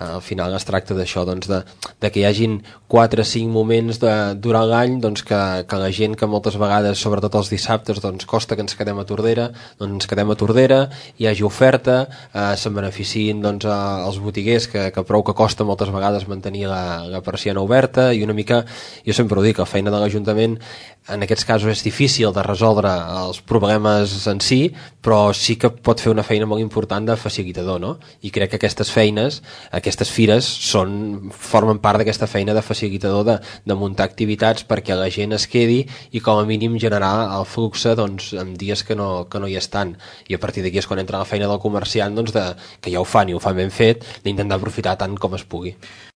al final es tracta d'això, doncs de que hi hagin 4 o 5 moments durant l'any doncs que la gent que moltes vegades, sobretot els dissabtes, doncs costa que ens quedem a Tordera, doncs ens quedem a Tordera, hi hagi oferta, se'n beneficiïn doncs els botiguers que prou que costa moltes vegades mantenir la persiana oberta, i una mica, jo sempre ho dic, la feina de l'Ajuntament en aquests casos és difícil de resoldre els problemes en si, però sí que pot fer una feina molt important de facilitador, no? I crec que aquestes feines, aquestes fires formen part d'aquesta feina de facilitador de muntar activitats perquè la gent es quedi i com a mínim generar el flux doncs, en dies que no hi estan, i a partir d'aquí és quan entra la feina del comerciant doncs, que ja ho fan i ho fan ben fet, d'intentar aprofitar tant com es pugui.